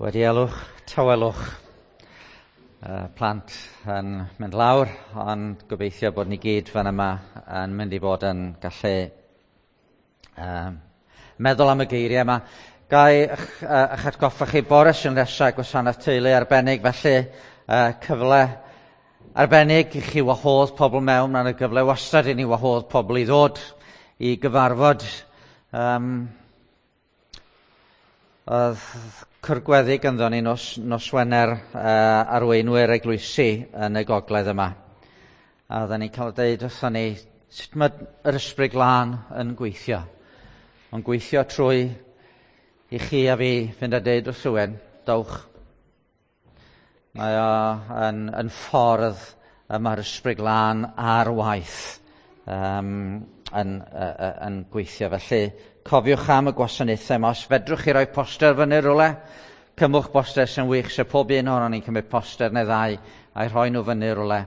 Wedi elwch, tawelwch, plant yn mynd lawr, ond gobeithio bod ni gyd fan yma yn mynd i fod yn gallu meddwl am y geiriau yma. Ga i eich atgoffa chi bore sy'n nesaf gwasanaeth teulu arbennig, felly cyfle arbennig i chi wahodd pobl mewn. Mae'n y gyfle wastad i ni wahodd pobl i ddod i gyfarfod. Oedd cwrgweddi ganddo ni nos Wener arweinwyr eglwysi yn y gogledd yma. A oedden ni'n cael deud wrthon ni sut mae yr Ysbryd Glân yn gweithio. Mae'n gweithio trwy i chi a fi fynd a deud wrth rhywun, dowch. Mae o yn ffordd y mae'r Ysbryd Glân ar waith yn gweithio. Felly cofiwch am y gwasanaethau yma. Os fedrwch chi roi poster fyny rhywle, cymwch poster sy'n wych. So pob un ohonon ni'n cymryd poster neu ddau a'i rhoi nhw fyny rhywle,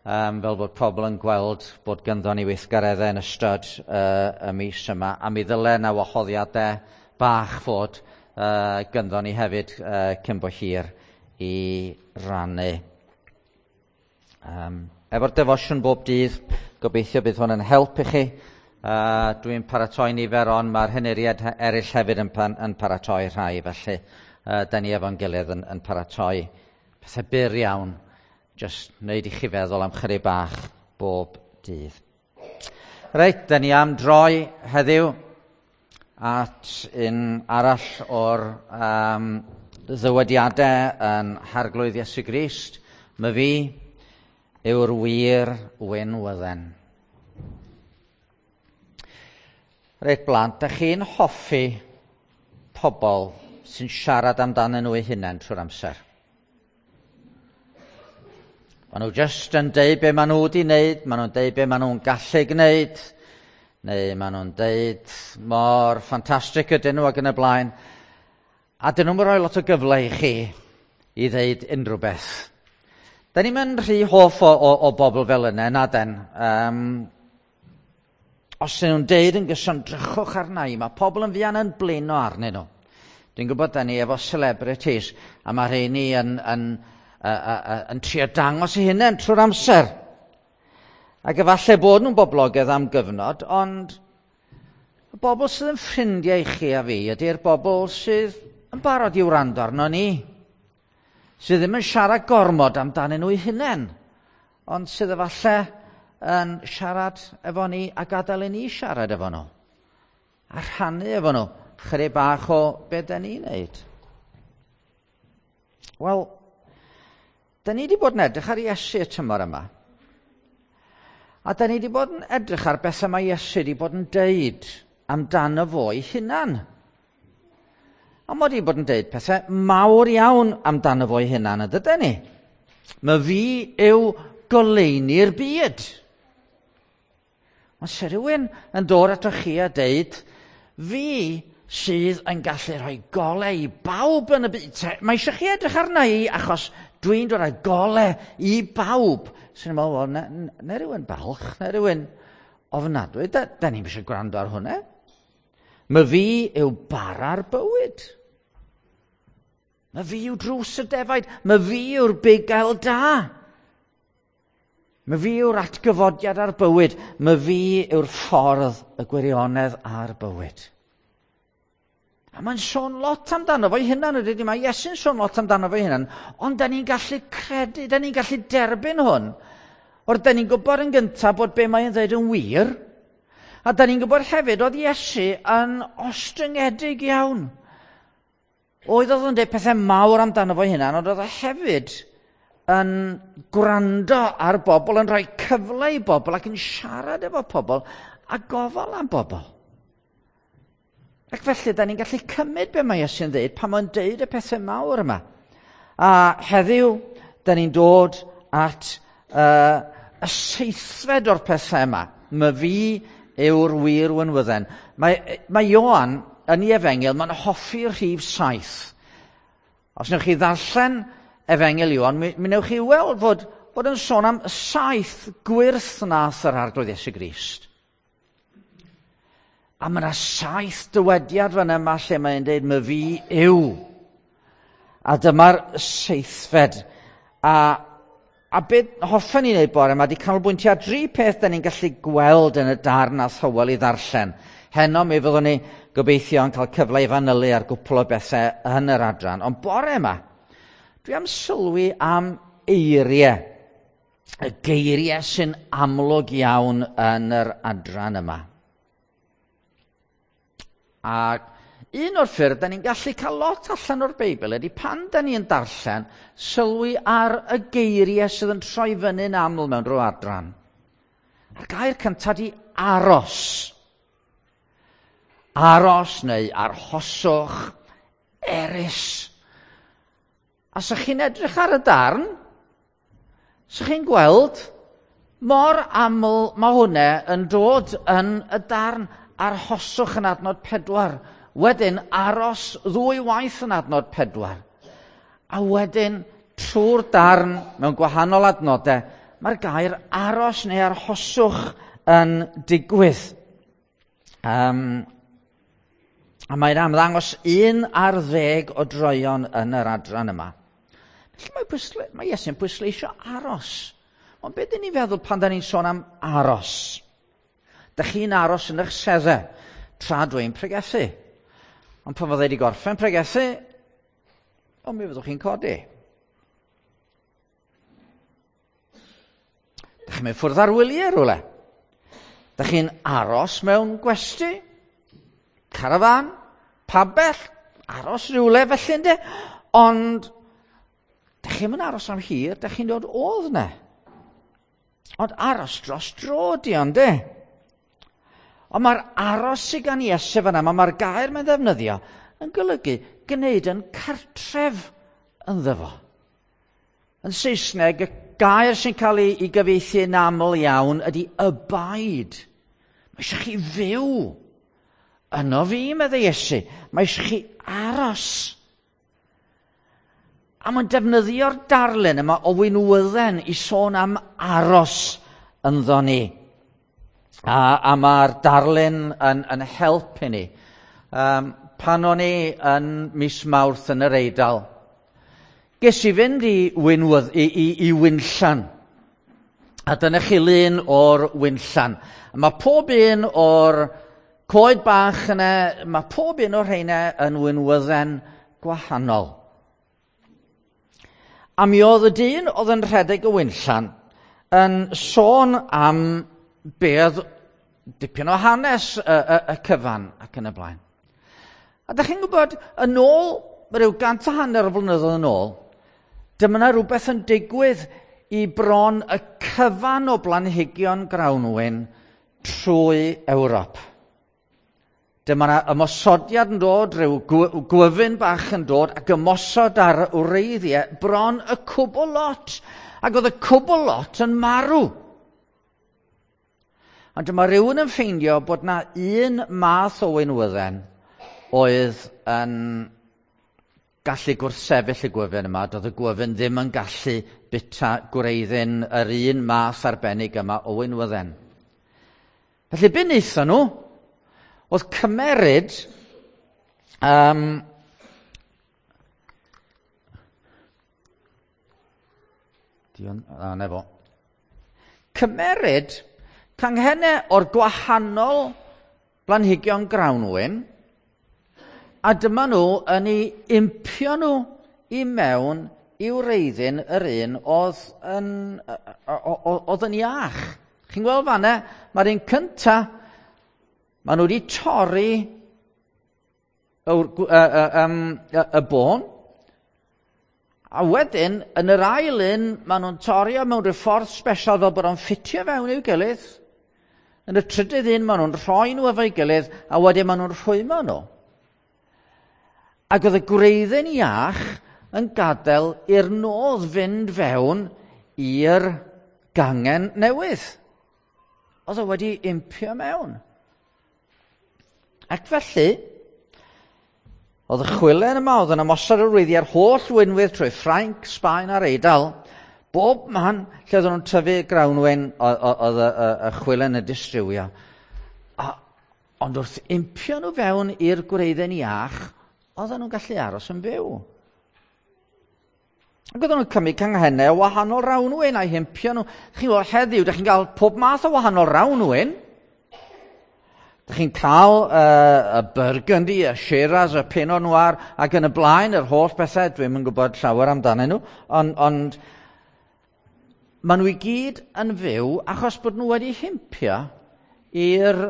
fel bod pobl yn gweld bod ganddo ni weithgareddau yn ystod y mis yma. A mi ddyle na wahoddiadau bach fod ganddo ni hefyd cyn bo hir i rannu. Efo'r defosiwn bob dydd, gobeithio bydd hwn yn help i chi. Dwi'n paratoi nifer, ond mae'r henuriad eraill hefyd yn paratoi rhai, felly da ni efo'n gilydd yn paratoi pethau byr iawn, jyst wneud i chi feddwl am chydig bach bob dydd. Reit, da ni am droi heddiw at un arall o'r ddywediadau yn Harglwydd Iesu Grist. My fi yw'r wir winwydden. Reit blant, da chi'n hoffi pobl sy'n siarad amdanyn nhw eu hunain trwy'r amser? Maen nhw jyst yn deud be maen nhw wedi wneud, maen nhw'n deud be maen nhw'n gallu gwneud, neu maen nhw'n deud mor ffantastig ydyn nhw ac yn y blaen. A dyn nhw'n rhoi lot o gyfle i chi i ddeud unrhyw beth. Da ni'n mynd rhy hoff o bobl fel yna, na den. Os ydyn nhw'n deud yn gyson, drychwch arna i, mae pobl yn fuan yn blino arnyn nhw. Dwi'n gwybod da ni efo celebrities, a mae rheini yn trio dangos eu hunain trwy'r amser. Ac efallai bod nhw'n boblogaidd am gyfnod, ond y bobl sydd yn ffrindiau i chi a fi ydy'r bobl sydd yn barod i wrando arno ni, sydd ddim yn siarad gormod amdanyn nhw eu hunain, ond sydd efallai yn siarad efo ni a gadael i ni siarad efo nhw, a rhannu efo nhw chydig bach o be da ni'n neud. Wel, da ni wedi bod yn edrych ar Iesu y tymor yma. A da ni wedi bod yn edrych ar bethau mae Iesu wedi bod yn deud amdano fo ei hunan. A mae wedi bod yn deud pethau mawr iawn amdano fo ei hunan, yn dydyn ni? Mae fi yw goleuni'r byd. Ond se rhywun yn dod ato chi a deud, fi sydd yn gallu rhoi golau i bawb yn y byd. Mae eisiau chi edrych arna i achos dwi'n dod â golau i bawb. Sy'n meddwl, wel, ne rhywun balch, ne rhywun ofnadwy. Da ni'n eisiau gwrando ar hwnna. Mae fi yw bara'r bywyd. Mae fi yw drws y defaid. Mae fi yw'r bugail da. Mae fi yw'r atgyfodiad a'r bywyd. Mae fi yw'r ffordd, y gwirionedd a'r bywyd. A mae'n sôn lot amdano fo'i hunan, ydy, mae Iesu'n sôn lot amdano fo'i hunan, ond da ni'n gallu credu, da ni'n gallu derbyn hwn. O'r da ni'n gwybod yn gyntaf bod be mae'n dweud yn wir, a da ni'n gwybod hefyd oedd Iesu yn ostyngedig iawn. Oedd o'n dweud pethau mawr amdano fo'i hunan, ond oedd o hefyd yn gwrando ar bobl, yn rhoi cyfle i bobl ac yn siarad efo pobl a gofal am bobl. Ac felly, da ni'n gallu cymryd be mae Iesu'n dweud pan mae'n deud y pethau mawr yma. A heddiw, da ni'n dod at y seithfed o'r pethau yma. Mae fi yw'r wir winwydden. Mae Ioan yn ei efengyl, mae'n hoffi'r rhif 7. Os wnewch chi ddarllen Efengyl Ioan, mi wnewch chi weld fod yn sôn am 7 gwyrth nath yr Arglwydd Iesu Grist. A mae yna 7 dywediad fan yma lle mae'n deud, mae fi yw. A dyma'r seithfed. A beth hoffen ni wneud bore yma 'di canolbwyntio ar dri peth da ni'n gallu gweld yn y darn a Hywel i ddarllen. Heno mi fyddwn ni gobeithio yn cael cyfle i fanylu ar gwpl o bethau yn yr adran. Ond bore yma, dwi am sylwi am eiriau. Y geiriau sy'n amlwg iawn yn yr adran yma. Ac un o'r ffyrdd da ni'n gallu cael lot allan o'r Beibl ydy pan da ni'n darllen, sylwi ar y geiriau sydd yn troi fyny'n aml mewn rhyw adran. A'r gair cyntaf di aros. Aros neu arhoswch, erys. A sa chi'n edrych ar y darn, sa chi'n gweld mor aml mae hwnna yn dod yn y darn. Arhoswch yn adnod 4. Wedyn aros ddwy waith yn adnod 4. A wedyn trwy'r darn mewn gwahanol adnodau, mae'r gair aros neu arhoswch yn digwydd. A mae'n amddangos 11 o droeon yn yr adran yma. Felly mae Iesu'n pwysleisio aros. Ond beth dyn ni'n feddwl pan da ni'n sôn am aros? Da chi'n aros yn eich seddau tra dwi'n pregethu. Ond pan fydda i wedi gorffen pregethu, o mi fyddwch chi'n codi. Da chi'n mynd ffwrdd ar wyliau rhywle. Da chi'n aros mewn gwesty, carafan, pabell, aros rhywle felly ynddo. Ond da chi'n mynd aros am hir, da chi'n dod odd yna. Ond aros dros dro di ond de. Ond mae'r aros sydd gan Iesu fan'na, mae'r gair mae'n ddefnyddio yn golygu gwneud yn cartref ynddo fo. Yn Saesneg, y gair sy'n cael ei gyfieithu yn aml iawn ydy abide. Mae eisiau chi fyw yno fi, meddai Iesu. Mae eisiau chi aros. A mae'n defnyddio'r darlun yma o winwydden i sôn am aros ynddo ni. A mae'r darlun yn help i ni. Pan o'n i yn mis Mawrth yn yr Eidal, ges i fynd i winllan. A dyna chi lun o'r winllan. A mae pob un o'r coed bach yna, mae pob un o'r rheina yn winwydden gwahanol. A mi oedd y dyn oedd yn rhedeg y winllan yn sôn am be oedd dipyn o hanes y cyfan ac yn y blaen. A da chi'n gwybod, yn ôl, rhyw 150 o flynyddoedd yn ôl, dyma yna rhywbeth yn digwydd i bron y cyfan o blanhigion grawnwin trwy Ewrop. Dyma yna ymosodiad yn dod, rhyw gwyfyn bach yn dod, ac ymosod ar wreiddiau bron y cwbl lot. Ac oedd y cwbl lot yn marw. Ond dyma rhywun yn ffeindio bod na un math o winwydden oedd yn gallu gwrthsefyll y gwyfyn yma. Doedd y gwyfyn ddim yn gallu bita gwreiddyn yr un math arbennig yma o winwydden. Felly be wnaethon nhw oedd cymeryd cymeryd canghennau o'r gwahanol blanhigion grawnwin, a dyma nhw yn ei impio nhw i mewn i wreiddyn yr un oedd yn iach. Chi'n gweld fan'na, mae'r un cynta, maen nhw wedi torri y bôn, a wedyn, yn yr ail un, maen nhw'n torri o mewn rhyw ffordd special fel bod o'n ffitio fewn i'w gilydd. Yn y trydydd un, maen nhw'n rhoi nhw efo'i gilydd, a wedyn maen nhw'n rhwymo nhw. Ac oedd y gwreiddyn iach yn gadael i'r nodd fynd fewn i'r gangen newydd. Oedd o wedi impio mewn. Ac felly, oedd y chwilen yma, oedd yn ymosod ar wreiddiau'r holl winwydd trwy Ffrainc, Sbaen a'r Eidal. Bob man lle oedden nhw'n tyfu grawnwin, oedd y chwilen yn distrywio. Ond wrth impio nhw fewn i'r gwreiddyn iach, oedden nhw'n gallu aros yn fyw. Ac oedden nhw'n cymryd canghennau o wahanol rawnwyn a'i hempio nhw. Chi'n gweld heddiw, dych chi'n cael pob math o wahanol rawnwyn. Dych chi'n cael y Burgundy, y Shiraz, y Pinot Noir, ac yn y blaen, yr holl bethau, dwi'm yn gwybod llawer amdanyn nhw, ond maen nhw i gyd yn fyw achos bod nhw wedi himpio i'r...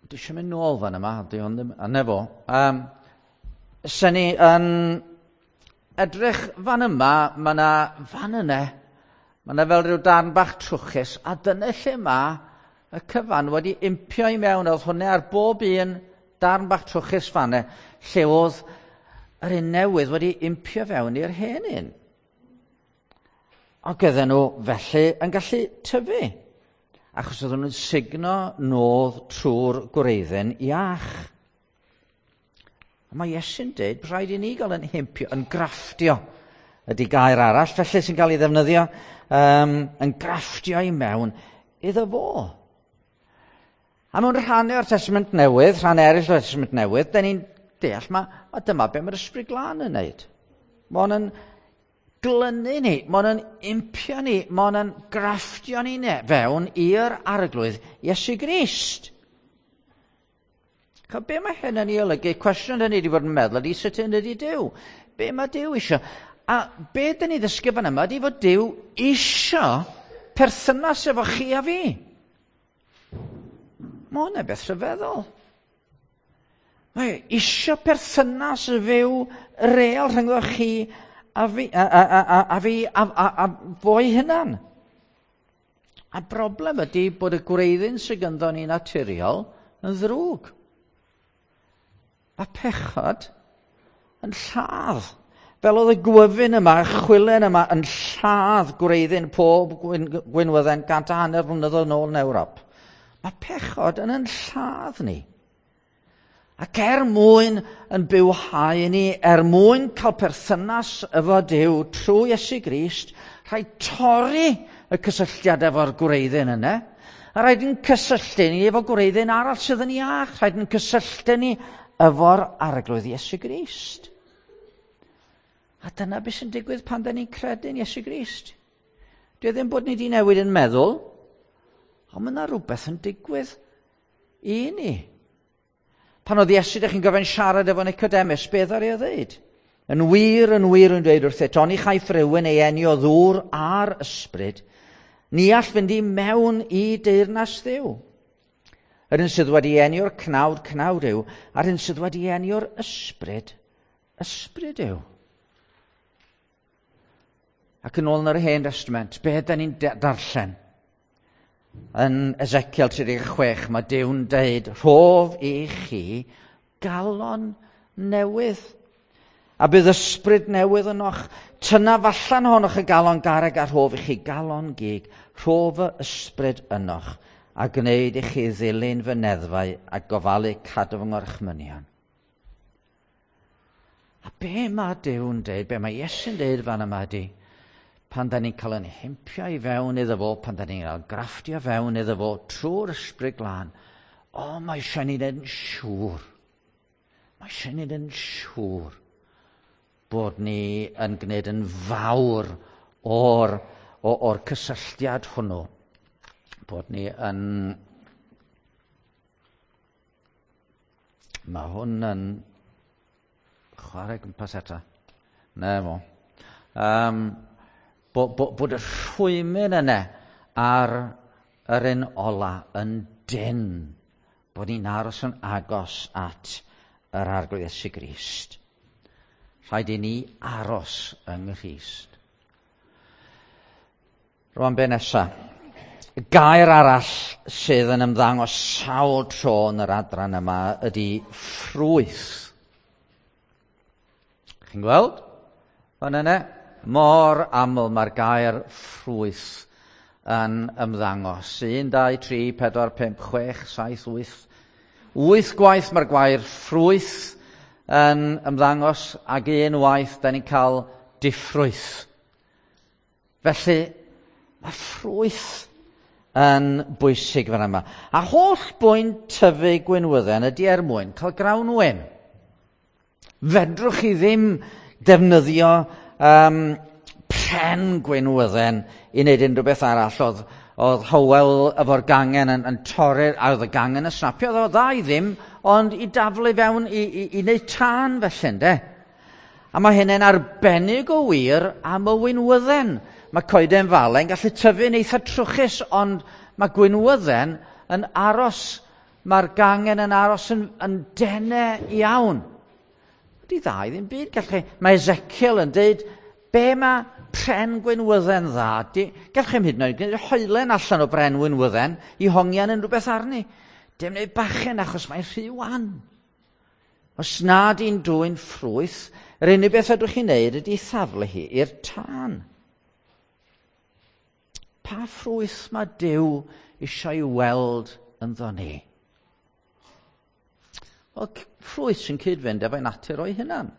Dwi eisiau mynd nôl fan yma, di hwn ddim... A nefo. Sen ni yn edrych fan yma, mae yna fan yna, mae yna fel rhyw darn bach trwchus, a dyna lle mae y cyfan wedi impio i mewn. Oedd hwnna ar bob un darn bach trwchus fan yna, lle oedd yr un newydd wedi impio fewn i'r hen un. Ac oedden nhw felly yn gallu tyfu, achos oedden nhw'n sugno nodd trwy'r gwreiddyn iach. A mae Iesu'n dweud, rhaid i ni gael yn himpio, yn grafftio, ydy gair arall, felly sy'n cael ei ddefnyddio, yn grafftio i mewn iddo fo. A mewn rhannau o'r Testament Newydd, rhan eraill o'r Testament Newydd, da ni'n deall, ma dyma be mae'r Ysbryd Glân yn neud. Mae o'n yn glynu ni, mae o'n yn impio ni, mae o'n yn grafftio ni fewn i'r Arglwydd Iesu Grist. Ch'o, be mae hyn yn ei olygu? Cwestiwn dyn ni wedi bod yn meddwl ydy sut hyn ydy Duw. Be mae Duw isio? A be dyn ni ddysgu fan yma ydy fod Duw isio perthynas efo chi a fi. Mae hwnna'n beth rhyfeddol. Mae isio perthynas fyw real rhyngddo chi a fi, a fi, a fo'i hunan. A broblem ydy bod y gwreiddyn sydd ganddo ni naturiol yn ddrwg. Mae pechod yn lladd. Fel oedd y gwyfyn yma, y chwilen yma, yn lladd gwreiddyn pob gwynwydden 150 mlynedd yn ôl yn Ewrop. Mae pechod yn lladd ni. Ac er mwyn yn bywhau ni, er mwyn cael perthynas efo Duw trwy Iesu Grist, rhaid torri y cysylltiad efo'r gwreiddyn yna. A rhaid yn cysylltu ni efo gwreiddyn arall sydd yn iach. Rhaid yn cysylltu ni efo'r Arglwydd Iesu Grist. A dyna beth sy'n digwydd pan da ni'n credu'n Iesu Grist. Dwi ddim bod ni wedi newid yn meddwl, ond mae yna rhywbeth yn digwydd i ni. Pan oedd Iesu, dych chi'n gofyn siarad efo Nicodemus, beth ar ei ddeud? Yn wir, yn wir yn dweud wrthyt, oni chaiff rhywun ei eni o ddŵr a'r ysbryd, ni all fynd i mewn i deyrnas Dduw. Yr un sydd wedi eni o'r cnawd, cnawd yw, a'r un sydd wedi eni o'r ysbryd, ysbryd yw. Ac yn ôl yn yr Hen Testament, be da ni'n darllen? Yn Ezekiel 36, mae Duw'n deud, rhof i chi galon newydd. A bydd ysbryd newydd ynoch. Tynaf allan ohonoch y galon garreg a rhof i chi galon gig. Rhof y ysbryd ynoch a gwneud i chi ddilyn fy neddfau a gofalu cadw fy ngorchmynion. A be mae Duw'n deud, be mae Iesu'n deud fan yma ydy, pan da ni'n cael yn himpio i fewn iddo fo, pan da ni'n cael grafftio fewn iddo fo trwy'r Ysbryd Glân, o, mae eisiau ni wneud yn siŵr. Mae eisiau ni wneud yn siŵr bod ni yn gwneud yn fawr o'r cysylltiad hwnnw. Bod ni yn... Mae hwn yn chwarae gwmpas eto. Na fo. Bod y rhwymyn yna ar yr un ola yn dyn. Bod ni'n aros yn agos at yr Arglwydd Iesu Grist. Rhaid i ni aros yng Nghrist. Rwan be nesa? Y gair arall sydd yn ymddangos sawl tro yn yr adran yma ydy ffrwyth. Chi'n gweld? Fan yna, mor aml mae'r gair ffrwyth yn ymddangos. 1, 2, 3, 4, 5, 6, 7, 8. 8 gwaith mae'r gair ffrwyth yn ymddangos ac un waith da ni'n cael diffrwyth. Felly, mae ffrwyth yn bwysig fan yma. A holl bwynt tyfu gwynwydden ydy er mwyn cael grawnwin. Fedrwch chi ddim defnyddio pren gwinwydden i wneud unrhyw beth arall. Oedd Hywel efo'r gangen yn torri'r, a oedd y gangen yn snapio, oedd o dda i ddim, ond i daflu fewn i wneud tân felly, ynde? A mae hynny'n arbennig o wir am y winwydden. Mae coeden falen gallu tyfu'n eitha trwchus, ond mae gwinwydden yn aros, mae'r gangen yn aros yn denau iawn. Ydy dda i ddim byd. Gallech chi, mae Ezekiel yn dweud, be mae pren gwinwydden dda? Gallech chi'm hyd yn oed gwneud hoelen allan o bren winwydden i hongian unrhyw beth arni. Dim wneud bachen achos mae'n rhy wan. Os nad i'n dwyn ffrwyth, yr unig beth ydych chi'n neud ydy thaflu hi i'r tân. Pa ffrwyth mae Duw eisiau weld ynddo ni? Wel, ffrwyth sy'n cyd-fynd efo'i natur o'i hunan.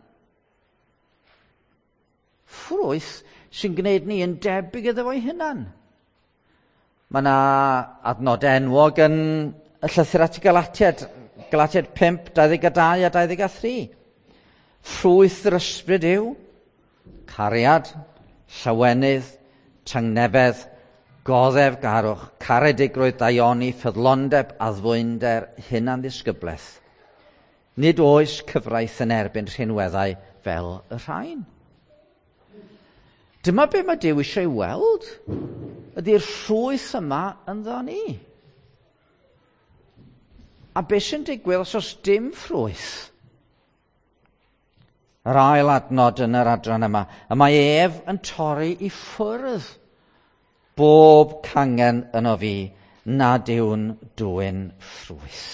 Ffrwyth sy'n gwneud ni yn debyg iddo fo'i hunan. Mae yna adnod enwog yn y llythyr at y Galatiaid, Galatiaid 5, 22 a 23. Ffrwyth yr ysbryd yw cariad, llawenydd, tangnefedd, goddefgarwch, caredigrwydd, daioni, ffyddlondeb, addfwynder, hunanddisgyblaeth. Nid oes cyfraith yn erbyn rhinweddau fel y rhain. Dyma be mae Duw eisiau weld, ydy'r ffrwyth yma ynddo ni. A be sy'n digwydd os oes dim ffrwyth? Yr ail adnod yn yr adran yma, y mae ef yn torri i ffwrdd bob cangen yno fi nad yw'n dwyn ffrwyth.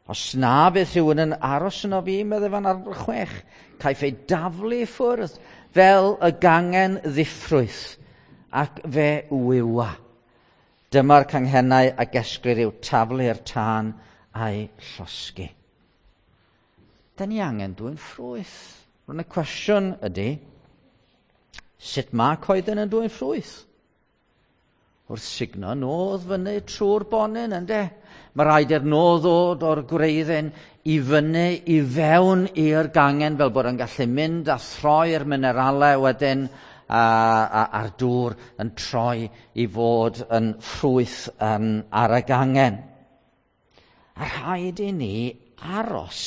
Os na fydd rhywun yn aros yno fi, meddai fan ar 6, caiff ei daflu i ffwrdd fel y gangen ddiffrwyth ac fe wywa. Dyma'r canghennau a gesglir i'w taflu i'r tân a'i llosgi. Da ni angen dwyn ffrwyth. Rwy'n y cwestiwn ydy, sut mae coeden yn dwyn ffrwyth? Wrth sugno nodd fyny trwy'r bonyn, ynde? Mae rhaid i'r nodd ddod o'r gwreiddyn i fyny i fewn i'r gangen fel bod yn gallu mynd a throi'r mineralau wedyn a'r dŵr yn troi i fod yn ffrwyth ar y gangen. A rhaid i ni aros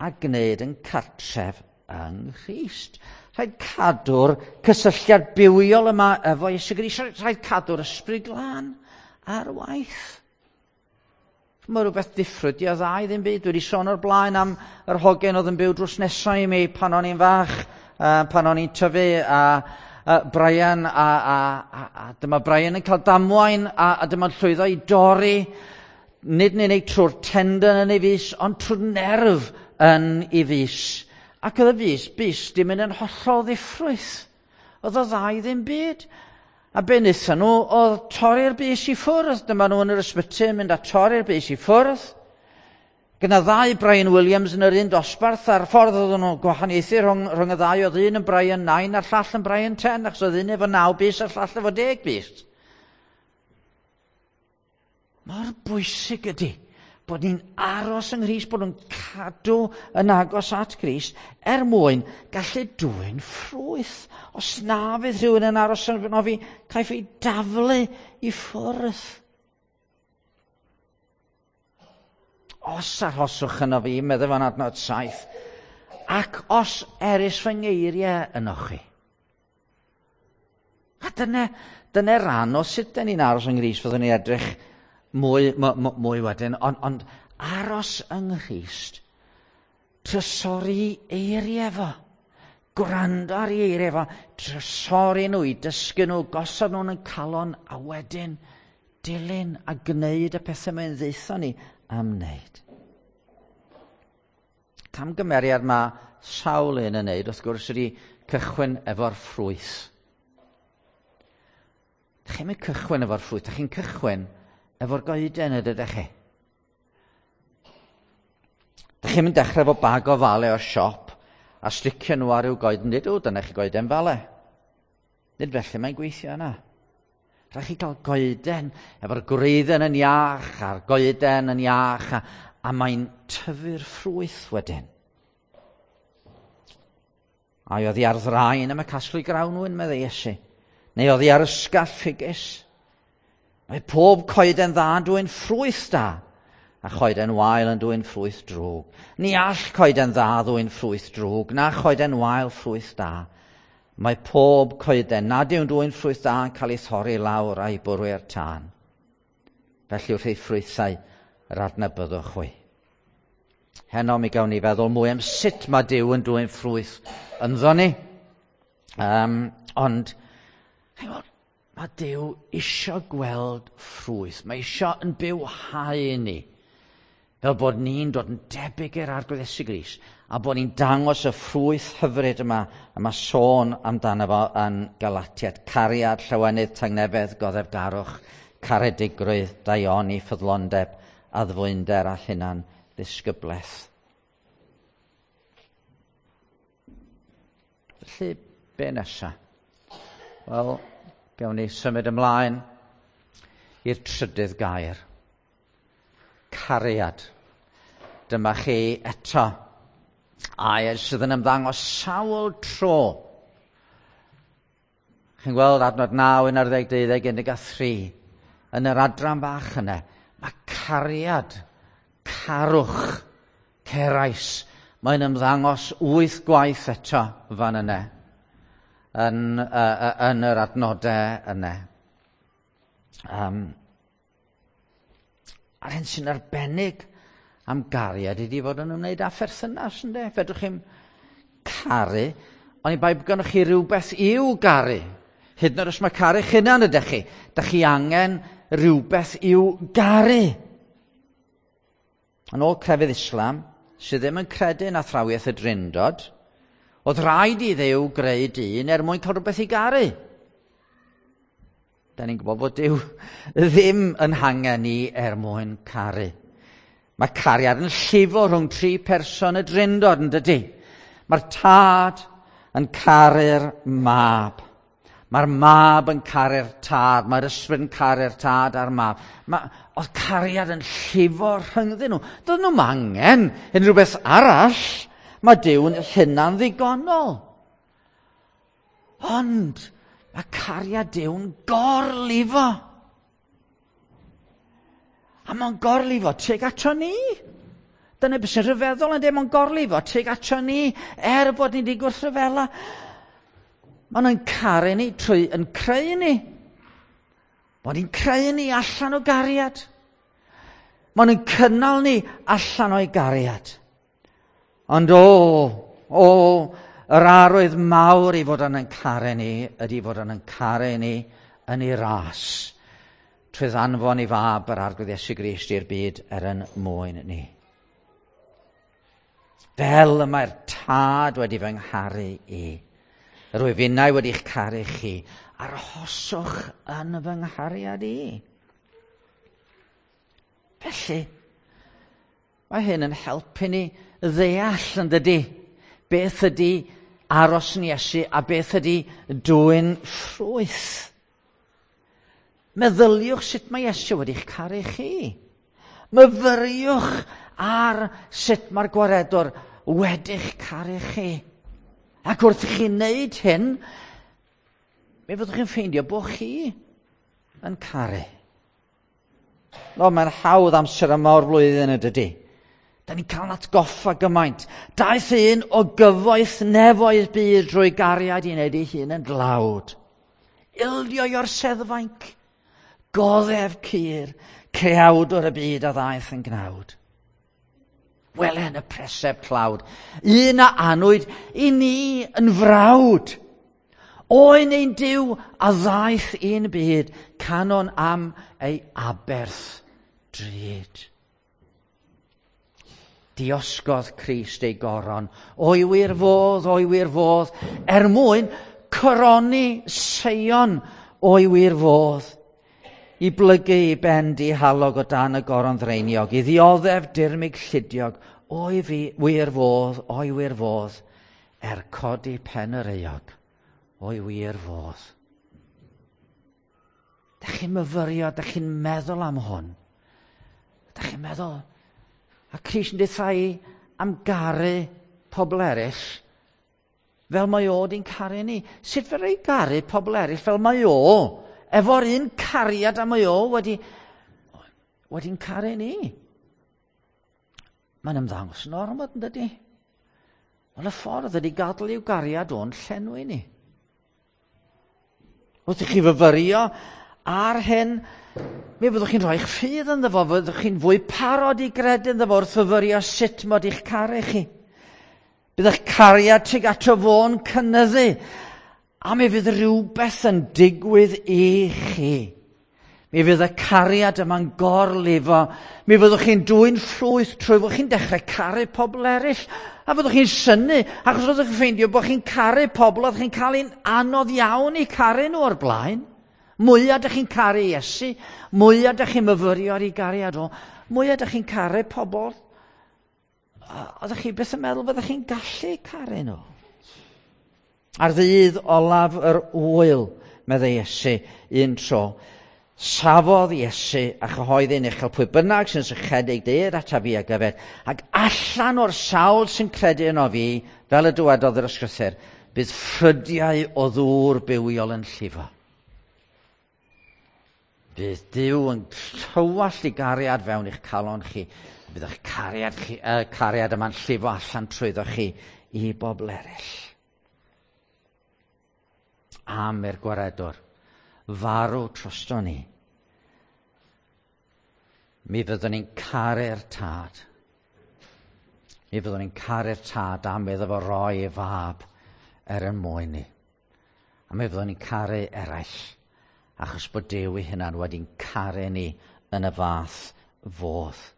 a gwneud yn cartref yng Nghrist. Rhaid cadw'r cysylltiad bywiol yma efo Iesu Grist. Rhaid cadw'r ysbryd glân ar waith. Mae rhywbeth diffrwyth i o dda i ddim byd. Dwi wedi sôn o'r blaen am yr hogen oedd yn byw drws nesau i mi pan o'n i'n fach, pan o'n i'n tyfu, a Brian, a dyma Brian yn cael damwain, a dyma'n llwyddo i dorri, nid yn unig trwy'r tendon yn ei fys, ond trwy'r nerf yn ei fys. Ac oedd y fys di mynd yn hollol ddiffrwyth. Oedd o dda i ddim byd. A be wnaethon nhw oedd torri'r bys i ffwrdd. Dyma nhw yn yr ysbyty yn mynd a torri'r bys i ffwrdd. Gyda ddau Brian Williams yn yr un dosbarth, a'r ffordd oedden nhw'n gwahaniaethu rhwng y ddau, oedd un yn Brian 9 a'r llall yn Brian 10, achos oedd un efo 9 bys a'r llall efo 10 bys. Mor bwysig ydy bod ni'n aros yng Nghrist, bod nhw'n cadw yn agos at Grist, er mwyn gallu dwyn ffrwyth. Os na fydd rhywun yn aros yno fi, caiff ei daflu i ffwrdd. Os arhoswch yno fi, meddai fo'n adnod 7, ac os erys fy ngeiriau yno chi. A dyna ran o sut dan ni'n aros yng Nghrist, fyddwn ni'n edrych mwy wedyn, ond aros yng Nghrist, trysori eiriau fo, gwrando ar ei eiriau fo, trysori nhw, i dysgu nhw, gosod nhw'n yn calon, a wedyn dilyn a gwneud y pethau mae'n ddeutho ni am wneud. Camgymeriad mae sawl un yn wneud, wrth gwrs, ydy cychwyn efo'r ffrwyth. Dach chi'm yn cychwyn efo'r ffrwyth, dach chi'n cychwyn efo'r goeden ydych chi. Dach chi'm yn dechrau efo bag o fale o'r siop a sticio nhw ar ryw goeden, nid o, dyna chi goeden fale. Nid felly mae'n gweithio yna. Rhaid chi gael goeden efo'r gwreiddyn yn iach a'r goeden yn iach a mae'n tyfu'r ffrwyth wedyn. Ai oddi ar ddraen am y casglu grawnwyn, meddai Iesu, neu oddi ar ysgall ffigys. Mae pob coeden dda yn dwyn ffrwyth da, a choeden wael yn dwyn ffrwyth drwg. Ni all coeden dda ddwyn ffrwyth drwg, na choeden wael ffrwyth da. Mae pob coeden nad yw'n dwyn ffrwyth da yn cael ei thorri lawr a'i bwrw i'r tân. Felly wrth ei ffrwythau yr adnabyddwch chwi. Heno mi gawn ni feddwl mwy am sut mae Duw yn dwyn ffrwyth ynddo ni. Ond, mae Duw isio gweld ffrwyth. Mae isio yn bywhau ni. Fel bod ni'n dod yn debyg i'r Arglwydd Iesu Grist, a bod ni'n dangos y ffrwyth hyfryd yma, y mae sôn amdano fo yn Galatiaid. Cariad, llawenydd, tangnefedd, goddefgarwch, caredigrwydd, daioni, ffyddlondeb, addfwynder a hunan ddisgyblaeth. Felly, be nesa? Wel, gawn ni symud ymlaen i'r trydydd gair. Cariad. Dyma chi eto air sydd yn ymddangos sawl tro. Chi'n gweld adnod 9, 11, 12, 13. Yn yr adran fach yna, mae cariad, carwch, cerais, mae'n ymddangos 8 gwaith eto fan yna, yn yr adnodau yna. A'r hyn sy'n arbennig am gariad ydy fod yn ymwneud â pherthynas, ynde? Fedrwch chi'm caru, ond i bai bod gennych chi rhywbeth i'w garu. Hyd yn oed os mae caru eich hunan ydych chi, dych chi angen rhywbeth i'w garu. Yn ôl crefydd Islam, sydd ddim yn credu yn athrawiaeth y Drindod, oedd rhaid i Dduw greu dyn er mwyn cael rhywbeth i garu. Da ni'n gwybod bod Duw ddim yn hangen ni er mwyn caru. Mae cariad yn llifo rhwng tri person y Drindod, yn dydy? Mae'r tad yn caru'r mab. Mae'r mab yn caru'r tad, mae'r ysbryd yn caru'r tad a'r mab. Oedd cariad yn llifo rhyngddyn nhw. Doedd nhw'm angen unrhyw beth arall. Mae Duw'n hunan ddigonol. Ond mae cariad Duw'n gorlifo. A mae'n gorlifo tuag ato ni. Dyna beth sy'n rhyfeddol yn dweud, mae'n gorlifo tuag ato ni, er bod ni wedi gwrthryfela. Maen nhw'n caru ni trwy yn creu ni. Maen nhw'n creu ni allan o gariad. Maen nhw'n cynnal ni allan o'i gariad. Ond o, yr arwydd mawr i fod yn caru ni ydy fod yn caru ni yn ei ras. Trwy ddanfon i fab yr Arglwydd Iesu Grist i'r byd er yn mwyn ni. Fel y mae'r tad wedi fy ngharu i. Rwyf innau wedi'ch caru chi, arhoswch yn fy nghariad i. Felly, mae hyn yn helpu ni ddeall yn dydy, beth ydy aros yn Iesu a beth ydy dwyn ffrwyth. Meddyliwch sut mae Iesu wedi'ch caru chi. Myfyriwch ar sut mae'r gwaredwr wedi'ch caru chi. Ac wrth i chi wneud hyn, mi fyddwch chi'n ffeindio bod chi yn caru. No, mae'n hawdd amser yma o'r flwyddyn y dydy. Da ni'n cael atgoffa gymaint. Daeth un o gyfoeth nefoedd byd drwy gariad i wneud ei hun yn dlawd. Ildio i orseddfainc, goddef cur, creawdwr y byd a ddaeth yn gnawd. Wele yn y preseb tlawd, un a anwyd i ni yn frawd. Oen ein Duw a ddaeth i'n byd, canon am ei aberth drud. Diosgodd Crist ei goron, o'i wir fodd, o'i wir fodd, er mwyn coroni Seion o'i wir fodd. I blygu i ben dihalog o dan y goron ddreiniog, i ddioddef dirmyg llidiog, o'i wir fodd, o'i wir fodd, er codi pen yr euog, o'i wir fodd. Dach chi'n myfyrio, dach chi'n meddwl am hwn. Dach chi'n meddwl, A Crist yn deutha i am garu pobl eraill fel mae o di'n caru ni. Sut fedra i garu pobl eraill fel mae o, efo'r un cariad a mae o wedi'n caru ni? Mae'n ymddangos yn ormod, yn dydy? Wel, y ffordd ydy gadael i'w gariad o'n llenwi ni. Wrth i chi fyfyrio ar hyn, mi fyddwch chi'n rhoi'ch ffydd ynddo fo, fyddwch chi'n fwy parod i gredu ynddo fo wrth fyfyrio sut mod i'ch caru chi. Bydd eich cariad tuag ato fo'n cynyddu, a mi fydd rhywbeth yn digwydd i chi. Mi fydd y cariad yma'n gorlifo. Mi fyddwch chi'n dwyn ffrwyth trwy fod chi'n dechrau caru pobl eraill. A fyddwch chi'n synnu, achos fyddwch chi'n ffeindio bod chi'n caru pobl oedd chi'n cael un anodd iawn i caru nhw o'r blaen. Mwyaf ydych chi'n caru Iesu, mwyaf ydych chi'n myfyrio ar ei gariad o, mwyaf ydych chi'n caru pobl. Oeddech chi byth yn meddwl fyddech chi'n gallu caru nhw? Ar ddydd olaf yr ŵyl, meddai Iesu un tro, safodd Iesu a chyhoeddi'n uchel pwy bynnag sy'n sychedig deued ataf fi ag yfed, ac allan o'r sawl sy'n credu yno fi, fel y dywedodd yr ysgrythur, bydd ffrydiau o ddŵr bywiol yn llifo. Bydd Duw yn tywallt i gariad fewn i'ch calon chi. Bydd eich cariad, chi, cariad yma'n llifo allan trwyddo chi i bobl eraill. Am i'r gwaredwr farw drosto ni. Mi fyddwn ni'n caru'r tad. Mi fyddwn ni'n caru'r tad am iddo fo roi ei fab er yn mwyn ni. A mi fyddwn ni'n caru eraill, achos bod Duw ei hunan wedi'n caru ni yn y fath fodd.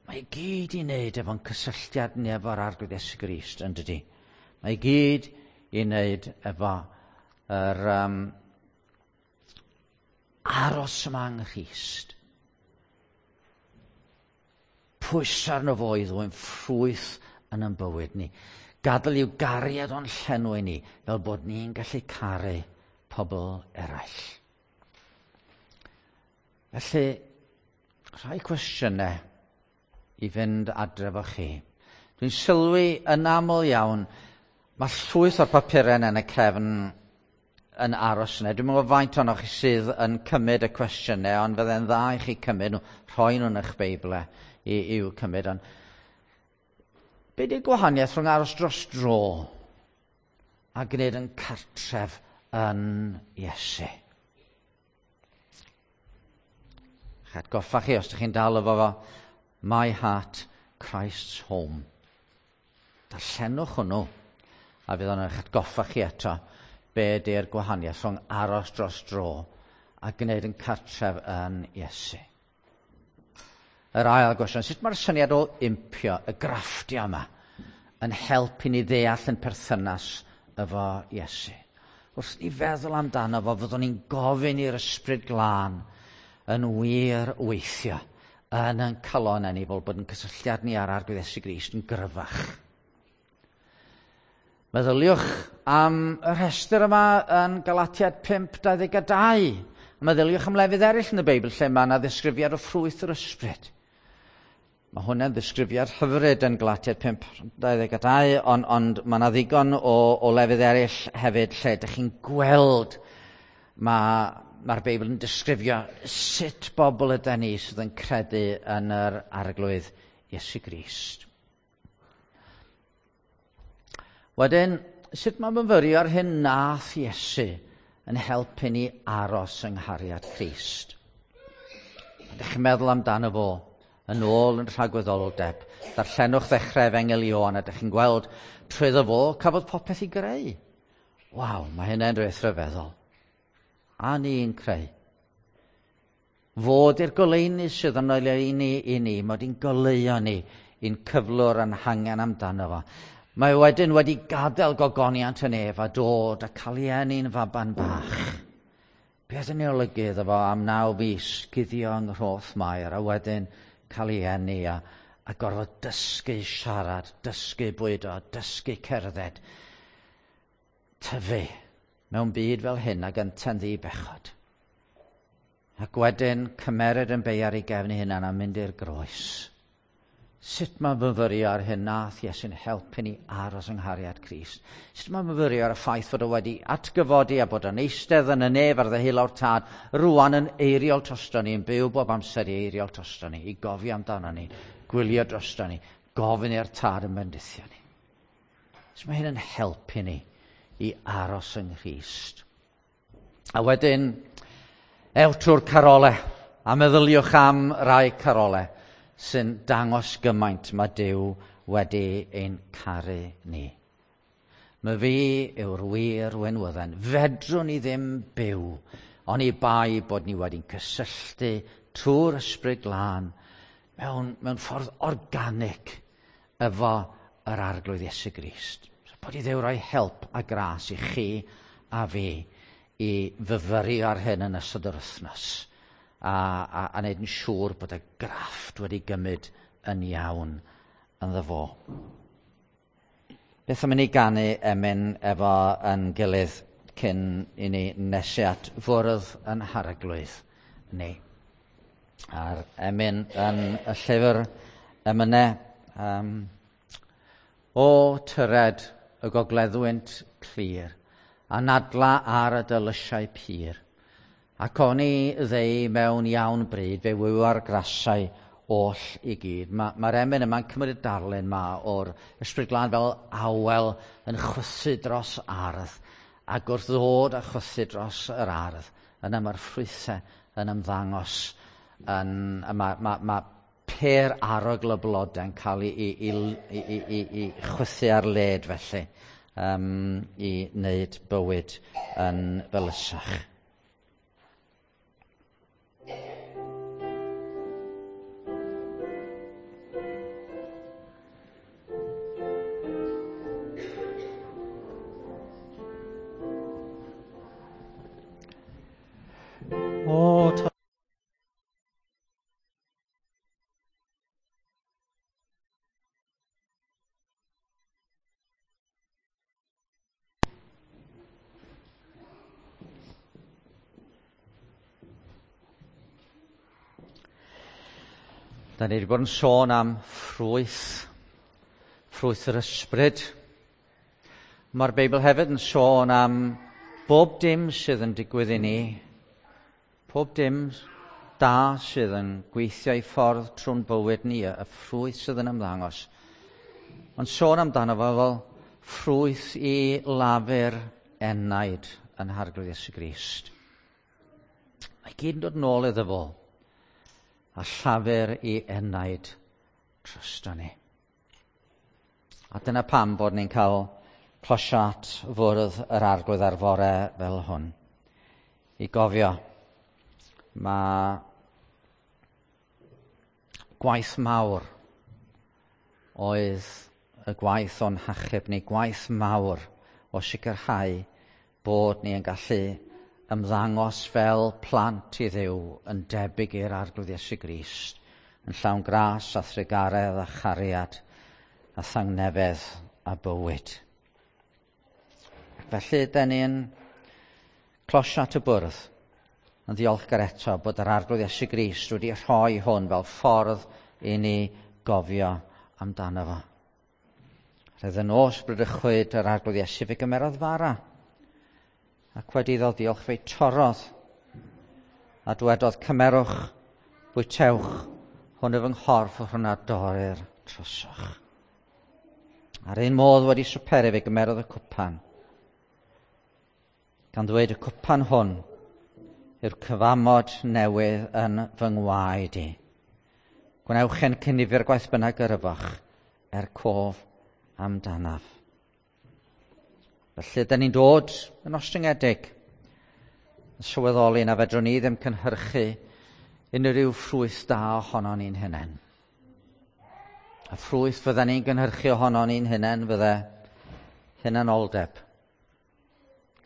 Mae i gyd i wneud efo'n cysylltiad ni efo'r Arglwydd Iesu Grist, yn dydi? Mae i gyd i wneud efo yr aros yma yng Nghrist. Pwyso arno fo i ddwyn ffrwyth yn ein bywyd ni. Gadael i'w gariad o'n llenwi ni, fel bod ni'n gallu caru pobl eraill. Felly, rhai cwestiynau i fynd adre efo chi. Dwi'n sylwi yn aml iawn, mae llwyth o'r papurau yna yn y cefn yn aros yna. Dwi'm yn gwybod faint ohonoch chi sydd yn cymryd y cwestiynau, ond fydde'n dda i chi cymryd nhw, rhoi nhw yn eich Beiblau i'w cymryd. Ond be di'r gwahaniaeth rhwng aros dros dro a gwneud yn cartref yn Iesu? Eich atgoffa chi, os ydych chi'n dal efo fo, My Heart, Christ's Home. Darllenwch hwnnw, a fydd o'n eich atgoffa chi eto be ydy'r gwahaniaeth rhwng aros dros dro a gwneud yn cartref yn Iesu. Yr ail gwestiwn, sut mae'r syniad o impio, y grafftio yma, yn helpu ni ddeall yn perthynas efo Iesu? Wrth ni feddwl amdano fo, fyddwn ni'n gofyn i'r Ysbryd Glân yn wir weithio yn ein calonnau ni, fel bod yn cysylltiad ni â'r Arglwydd Iesu Grist yn gryfach. Meddyliwch am y rhestr yma yn Galatiaid 5:22. Meddyliwch am lefydd eraill yn y Beibl lle mae yna ddisgrifiad o ffrwyth yr ysbryd. Mae hwnna'n ddisgrifiad hyfryd yn Galatiaid 5:22, ond mae yna ddigon o lefydd eraill hefyd lle ydych chi'n gweld mae'r Beibl yn disgrifio sut bobl ydy ni sydd yn credu yn yr Arglwydd Iesu Grist. Wedyn, sut mae myfyrio ar hyn nath Iesu yn helpu ni aros yng nghariad Crist? Ydych chi'n meddwl amdano fo yn ôl yn rhagwyddoldeb? Darllenwch ddechrau Efengyl Ioan a ydych chi'n gweld trwyddo fo cafodd popeth i greu. Waw, mae hynny'n rhywbeth rhyfeddol. A ni'n creu. Fod i'r goleuni sydd yn oleuni i ni, mod i'n goleuo ni i'n cyflwr a'n hangen amdano fo. Mae wedyn wedi gadael gogoniant y nef a dod a cael ei eni'n faban bach. Beth yn ei olygu iddo fo am 9 fis guddio yng nghroth Mair a wedyn cael ei eni a gorfod dysgu siarad, dysgu bwydo, dysgu cerdded. Tyfu mewn byd fel hyn ag ynte'n ddi-bechod. Ac wedyn cymeryd yn bei ar ei gefn ei hunan a mynd i'r groes. Sut mae myfyrio ar hyn nath Iesu'n helpu ni aros yng nghariad Crist? Sut mae myfyrio ar y ffaith fod o wedi atgyfodi a bod o'n eistedd yn y nef ar ddeheulaw'r Tad, rwan yn eiriol drosto ni, yn byw bob amser i eiriol drosto ni, i gofio amdano ni, gwylio drosto ni, gofyn i'r Tad yn bendithio ni. Sut mae hyn yn helpu ni i aros yng Nghrist? A wedyn, ewch trwy'r carolau, a meddyliwch am rai carolau sy'n dangos gymaint mae Duw wedi ein caru ni. Mae fi yw'r wir wenwydden. Fedrwn ni ddim byw, oni bai bod ni wedi'n cysylltu trwy'r Ysbryd Glân mewn ffordd organic efo yr Arglwydd Iesu Grist. So, bod i Dduw roi help a gras i chi a fi i fyfyrio ar hyn yn ystod yr wythnos a wneud yn siŵr bod y grafft wedi gymryd yn iawn ynddo fo. Beth am i ni ganu emyn efo yn gilydd cyn i ni nesu at fwrdd yn Harglwydd ni. A'r emyn yn y llyfr emynau, O tyred y gogleddwynt clir, anadla ar y dylysiau pur, ac oni ddeu mewn iawn bryd, fe wyw'r grasau oll i gyd. Mae'r emyn yma'n cymryd y darlun ma o'r Ysbryd Glân fel awel yn chwythu dros ardd, ac wrth ddod a chwythu dros yr ardd, yna mae'r ffrwythau yn ymddangos, mae pêr arogl y blodau yn cael ei chwythu ar led felly, i wneud bywyd yn felysach. Da ni wedi bod yn sôn am ffrwyth yr ysbryd. Mae'r Beibl hefyd yn sôn am bob dim sydd yn digwydd i ni, pob dim da sydd yn gweithio i ffordd trwy'n bywyd ni, y ffrwyth sydd yn ymddangos. Ond sôn amdano fo fel ffrwyth i lafur enaid yn Harglwydd Iesu Grist. Mae gyd yn dod nôl iddo fo, a llafur i enaid drosto ni. A dyna pam bod ni'n cael closiad fwrdd yr Arglwydd ar fore fel hwn. I gofio, mae gwaith mawr oedd y gwaith o'n hachub ni, gwaith mawr o sicrhau bod ni yn gallu ymddangos fel plant i Dduw yn debyg i'r Arglwydd Iesu Grist, yn llawn gras a thrugaredd a chariad a thangnefedd a bywyd. Ac felly, da ni'n closio at y bwrdd yn ddiolchgar eto bod yr Arglwydd Iesu Grist wedi rhoi hwn fel ffordd i ni gofio amdano fo. Roedd y nos bradychwyd yr Arglwydd Iesu fe gymerodd fara, ac wedi iddo ddiolch fe'i torrodd, a dwedodd, cymerwch, bwytewch, hwn yw fy nghorff, hwn a dorrir trosoch. A'r un modd wedi swperu fe gymerodd y cwpan, gan ddweud y cwpan hwn yw'r cyfamod newydd yn fy ngwaed i. Gwnewch e'n cynifir gwaith bynnag yr yfach, er cof amdanaf. Felly, da ni'n dod yn ostyngedig, yn sylweddoli na fedrwn ni ddim cynhyrchu unrhyw ffrwyth da ohono ni'n hunain. A ffrwyth fydda ni'n gynhyrchu ohono ni'n hunain fydde hunanoldeb,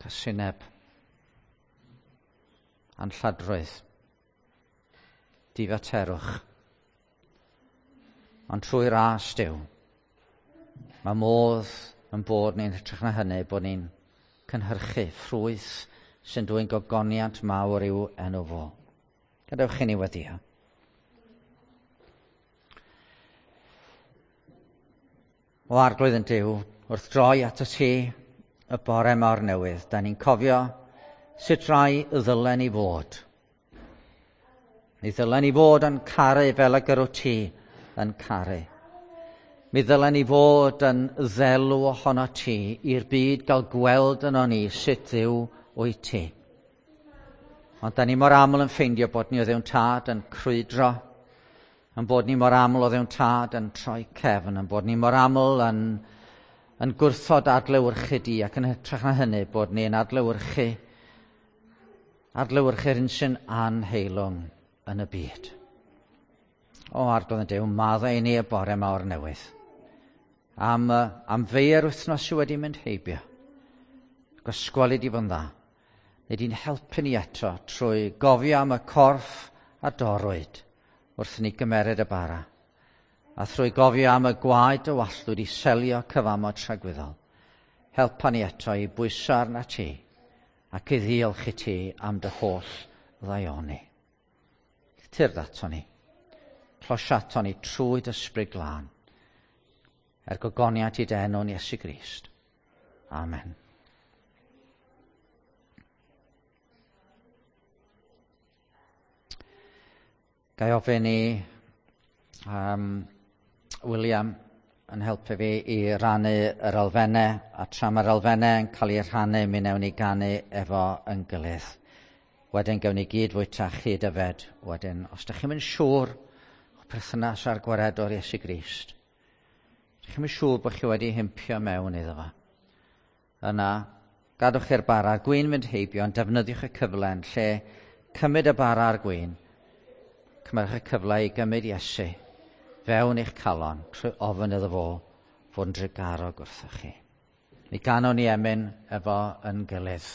casineb, anlladrwydd, difaterwch. Ond trwy ras Duw, mae modd yn bod ni'n hytrach na hynny, bod ni'n cynhyrchu ffrwyth sy'n dwyn gogoniant mawr i'w enw fo. Gadewch i ni weddio. O Arglwydd yn Duw, wrth droi at y ti y bore mawr newydd, da ni'n cofio sut rai ddylen ni fod. Mi ddylen ni fod yn caru fel y gyrw ti yn caru. Mi ddylen ni fod yn ddelw ohono ti i'r byd gael gweld yno ni sut Dduw wyt ti. Ond da ni mor aml yn ffeindio bod ni o Dduw'n Tad yn crwydro, yn bod ni mor aml o Dduw'n Tad yn troi cefn, yn bod ni mor aml yn gwrthod adlewyrchu di, ac yn hytrach na hynny bod ni'n adlewyrchu'r un sy'n anheilwng yn y byd. O Arglwydd yn Duw, maddau i ni y bore mawr newydd. Am fei'r wythnos sydd wedi mynd heibio. Gysgweli di fod yn dda. Neu di'n helpu ni eto trwy gofio am y corff a dorrwyd wrth ni gymeryd y bara. A thrwy gofio am y gwaed y wallwyd i selio cyfamod tragwyddol. Helpa ni eto i bwyso arna ti ac i ddiolch i ti am dy holl ddaioni. Tyrd ato ni. Closia ato ni trwy dy ysbryd glân. Er gogoniant i dy enw'n Iesu Grist. Amen. Ga i ofyn i William yn helpu fi i rannu yr elfennau, a tra mae'r elfennau yn cael eu rhannu, mi wnewn ni ganu efo yn gilydd. Wedyn gawn ni gyd fwyta chyd yfed. Wedyn, os ydych chi'n mynd siŵr o perthynas â'r gwaredwr Iesu Grist, ydych chi'n mynd siŵr bod chi wedi himpio mewn iddo fo, yna, gadwch i'r bara a'r gwin fynd heibio, ond defnyddiwch y cyfle yn lle cymryd y bara a'r gwin. Cymerwch y cyfle i gymryd Iesu fewn eich calon trwy ofyn iddo fo fod yn drugarog wrthoch chi. Mi ganon ni emyn efo yn gilydd.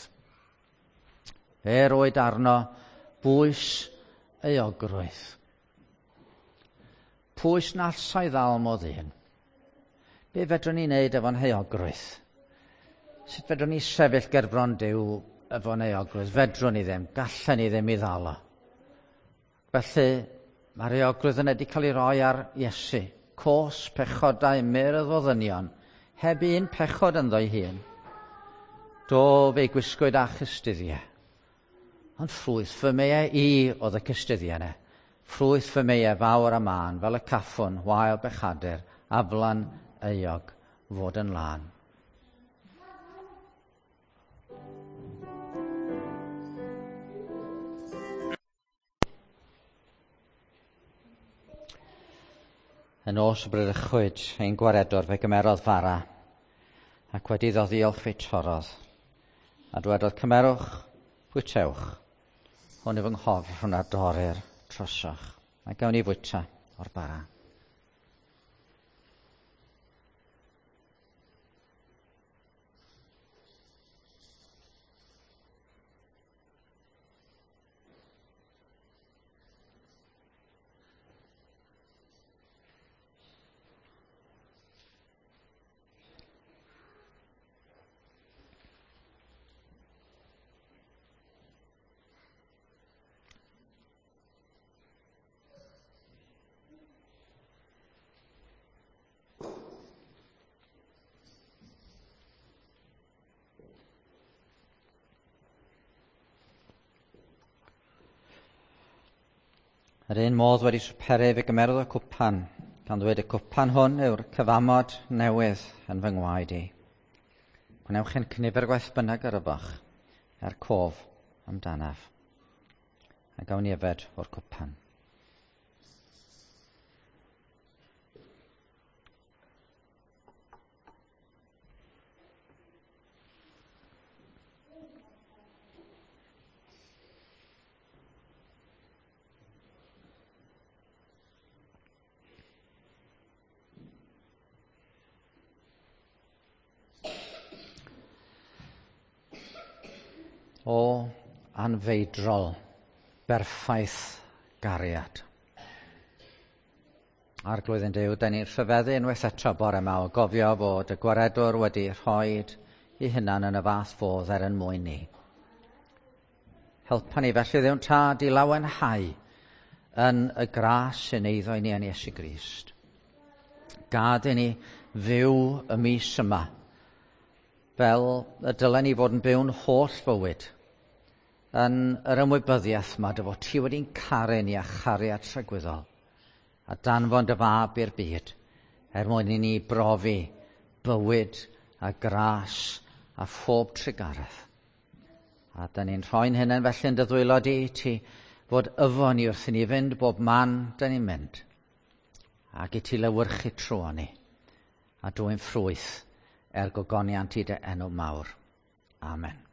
Fe roed arno bwys euogrwydd. Pwys na allai ddal mo ddyn. Be fedrwn ni wneud efo'n heuogrwydd? Sut fedrwn ni sefyll gerbron Duw efo'n euogrwydd? Fedrwn ni ddim, gallen ni ddim i ddal o. Felly, mae'r euogrwydd yna wedi cael ei roi ar Iesu. Cos pechodau myrdd o ddynion, heb un pechod ynddo'i hun. Do fe'i gwisgwyd â chystuddiau. Ond ffrwyth fy meiau i oedd y cystuddiau yna. Ffrwyth fy meiau fawr a mân, fel y caffwn, wael bechadur, aflan euog, fod yn lân. Y nos y bradychwyd ein gwaredwr fe gymerodd fara, ac wedi iddo ddiolch fe torrodd, a dwedodd, cymerwch, bwytewch, hwn yw fy nghorff rhwng a dorir trosoch. A gawn ni fwyta o'r bara. Yr un modd wedi swperu fe gymerodd y cwpan, gan ddweud y cwpan hwn yw'r cyfamod newydd yn fy ngwaed i. Gwnewch yn cynifer gwaith bynnag yr ybach, er cof amdanaf. A gawn ni yfed o'r cwpan. O anfeidrol, berffaith gariad. Arglwydd yn Duw, da ni'n rhyfeddu unwaith eto bore yma o gofio fod y gwaredwr wedi rhoid ei hunan yn y fath fodd er yn mwyn ni. Helpa ni felly Dduw'n Tad i lawenhau yn y gras sy'n eiddo i ni yn Iesu Grist. Gad i ni fyw y mis yma, fel y dylen ni fod yn byw'n holl fywyd, yn yr ymwybyddiaeth yma dy fod ti wedi'n caru ni a chariad tragwyddol, a danfon dy fab i'r byd, er mwyn i ni brofi bywyd a gras a phob trugaredd. A da ni'n rhoi'n hynny felly yn dy ddwylo di i ti fod yfo ni wrth i ni fynd bob man da ni'n mynd. Ac i ti lewyrchu trwy ni a dwy'n ffrwyth er gogoniant i dy enw mawr. Amen.